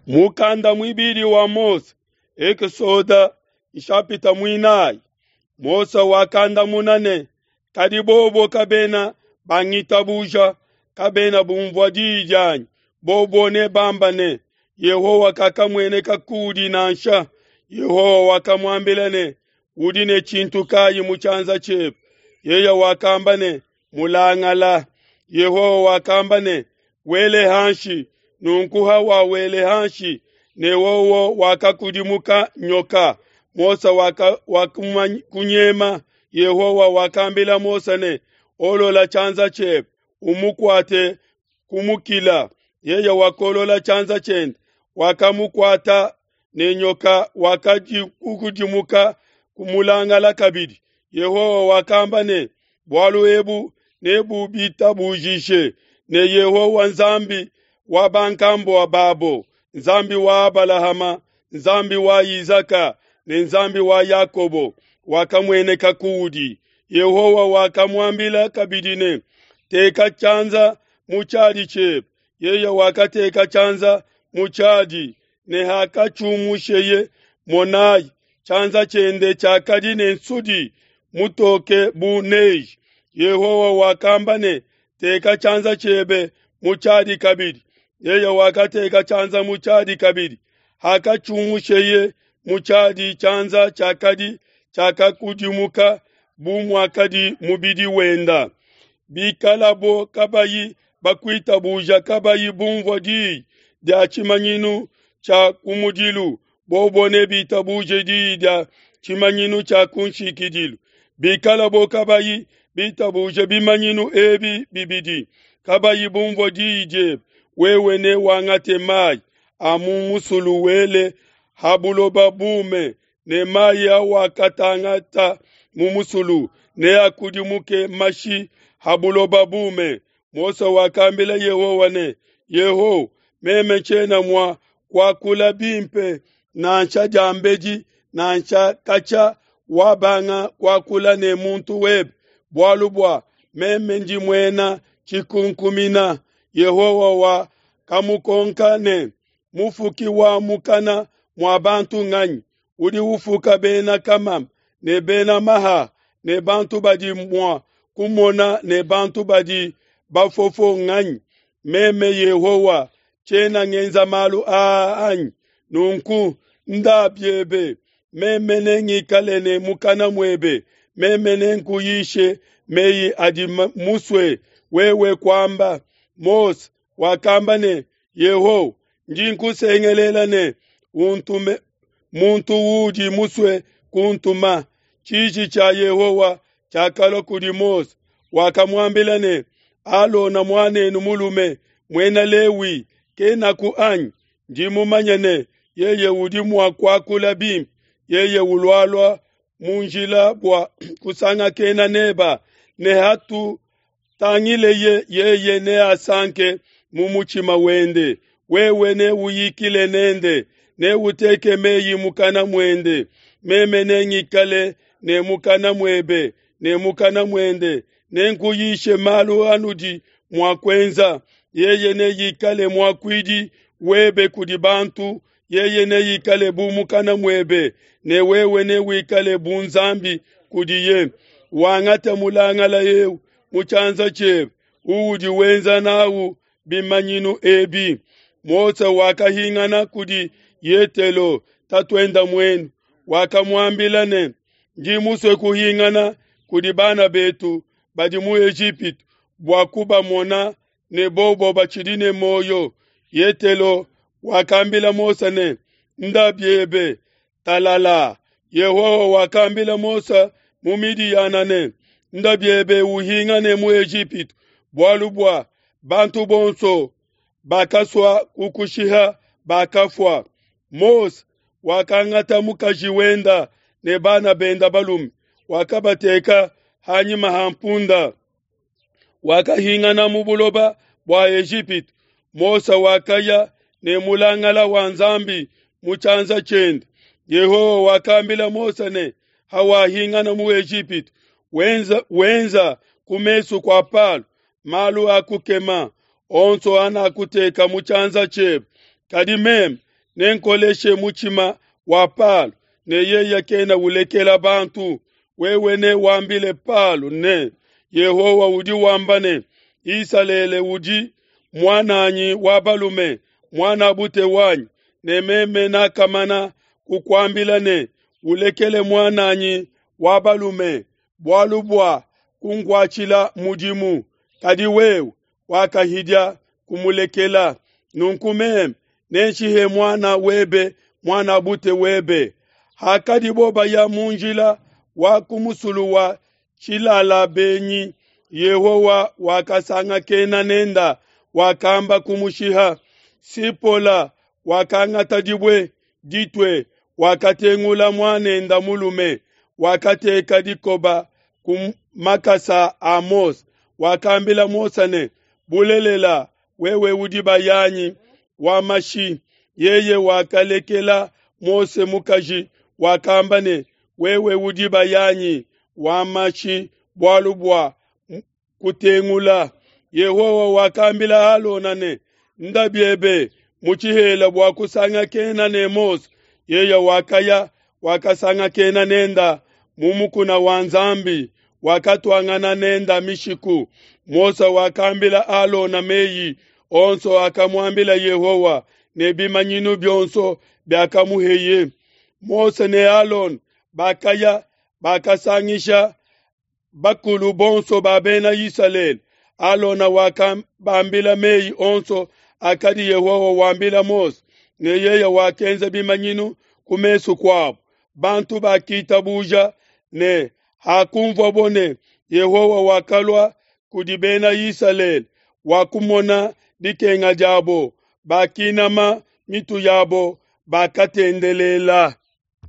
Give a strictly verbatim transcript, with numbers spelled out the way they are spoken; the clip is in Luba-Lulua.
Mukanda muibidi wa Mose, Ekesode nshapita muinayi. Mose wakandamuna ne, kadi bobo kabena bangitabuja, kabena bumvua diyi dianyi. Bobo ne bamba ne, Yehowa kakamueneka kudi nansha. Yehowa wakamuambila ne, udi ne tshintu kayi mu tshianza tshiebe? Yeye wakamba ne, mulangala. Yehowa wakamba ne, wele hanshi. Nunku hawawele hanshi, ne wowo wakakudimuka nyoka. Mose wakakunyema. Yehowa wakambila Mose ne, olola tshianza tshiebe, umukuate kumukila. Yeye wakolola tshianza tshiende, wakamukuata ne nyoka wakadikudimuka kumulangala kabidi. Yehowa wakamba ne, bualu ebu nebubitabujishe ne Yehowa Nzambi wa bankambua babo, Nzambi wa Abalahama, Nzambi wa Izaka ne Nzambi wa Yakobo wakamueneka kuudi. Yehowa wakamuambila kabidi ne, teka tshianza mu tshiadi tshiebe. Yeye wakateka tshianza mu tshiadi, ne hakatshiumusheye, monayi, tshianza tshiende tshiakadi ne nsudi mutoke bu neige. Yehowa wakamba ne, teka tshianza tshiebe mu tshiadi kabidi. Yeye wakateka tshianza mu tshiadi kabidi. Hakatshiumusheye mu tshiadi, tshianza tshiakadi tshiakakudimuka bu muakadi mubidi wenda. Bikalabo kabayi bakuitabuja, kabayi bumvua diyi dia tshimanyinu tshia kumudilu, bobo ne bitabuje diyi dia tshimanyinu tshia kunshikidilu. Bikalabo kabayi bitabuje bimanyinu ebi bibidi, kabayi bumvua diyi diebe, wewe ne wangate mayi a mu musulu wele ha buloba bume, ne mayi awakatangata mu musulu neakudimuke mashi ha buloba bume. Mose wakambila Yehowa ne, Yehowa, meme tshiena mua kuakula bimpe nansha diambedi nansha katshia wabanga kuakula ne muntu webe, bualu bua meme ndi muena tshikunkumina. Yehowa wakamukonka ne, mufuki wa mukana mua bantu nganyi? Udi ufuka bena kamama ne bena maha ne bantu badi mua kumona ne bantu badi bafofo nganyi? Meme Yehowa tshiena ngenza malu aa anyi? Nunku nda biebe, meme nengikale ne mukana muebe, meme nenkuyishe meyi adi musue wewe kuamba. Mose wakamba ne, Yehowa, ndi nkusengelela ne untume muntu udi musue kuntuma. Tshiji tshia Yehowa tshiakalua kudi Mose, wakamuambila ne, Alona muanenu mulume muena Lewi kenaku anyi? Ndi mumanye ne yeye udi mua kuakula bimpe, yeye ulualua mu njila bua kusangakena neba, ne hatutangileye yeye neasanke mu mutshima wende. Wewe neuyikile nende, neuteke meyi mukana muende, meme nengikale ne mukana muebe ne mukana muende, nenkuyishe malu anudi mua kuenza. Yeye neikale muakuidi webe kudi bantu, yeye neikale bu mukana muebe, ne wewe newikale bu Nzambi kudiye. Wangate mulangala eu mu tshianza tshiebe, uudi wenza nawu bimanyinu ebi. Mose wakahingana kudi Yetelo tatuenda muenu, wakamuambila ne, ndi musue kuhingana kudi bana betu badi mu Ejipitu bua kubamona ne bobo batshidi ne muoyo. Yetelo wakambila Mose ne, nda biebe, talala. Yehowa wakambila Mose mu Midiyana ne, nda biebe uhingane mu Ejipitu, bualu bua bantu bonso bakasua kukushiha bakafua. Mose wakangata mukaji wenda ne bana benda balume, wakabateka hanyima ha mpunda, wakahingana mu buloba bua Ejipitu. Mose wakaya ne mulangala wa Nzambi mu tshianza tshiende. Yehowa wakambila Mose ne, hawahingana mu Ejipitu, wenza, wenza ku mesu kua Palo malu a kukema onso anakuteka mu tshianza tshiebe, kadi meme Nenkoleshe mutshima wa Palo, ne yeye kena ulekela bantu. Wewe newambile Palo ne, Yehowa udi wamba ne, Isalele udi muananyi wa balume, muanabute wanyi, ne meme nakamana kukuambila ne, ulekele muananyi wa balume bualu bua kunkuatshila mudimu, kadi wewe wakahidia kumulekela. Nunku meme nenshihe muana webe, muanabute webe. Hakadibo baya mu njila wa ku musulu wa Tshilala-benyi, Yehowa wakasangakena nenda, wakamba kumushiha. Sipola wakangata dibue ditue, wakatengula muanenda mulume, wakateka dikoba ku makasa a Mose. Wakambila Mose ne, Bulelela, wewe udi bayanyi wa mashi. Yeye wakalekela Mose mukaji, wakamba ne, Wewe udi bayanyi wa mashi bualu bua kutengula. Yehowa wakambila Alona ne, Nda biebe mu tshihela bua kusangakena ne Mose. Yeye wakaya, wakasangakena nenda mu mukuna wa Nzambi, wakatuangana nenda mishiku. Mose wakambila Alona meyi onso akamuambila Yehowa ne bimanyinu bionso biakamuheye. Mose ne Alona bakaya, bakasangisha bakulu bonso ba Bena Isalele. Alona wakabambila meyi onso akadi Yehowa wambila Mose, ne yeye wakenza bimanyinu ku mesu kuabo. Bantu bakitabuja ne hakumvuabo ne Yehowa wakalua kudi Bena Isalele, wakumona dikenga diabo, bakinama mitu yabo, bakatendelela.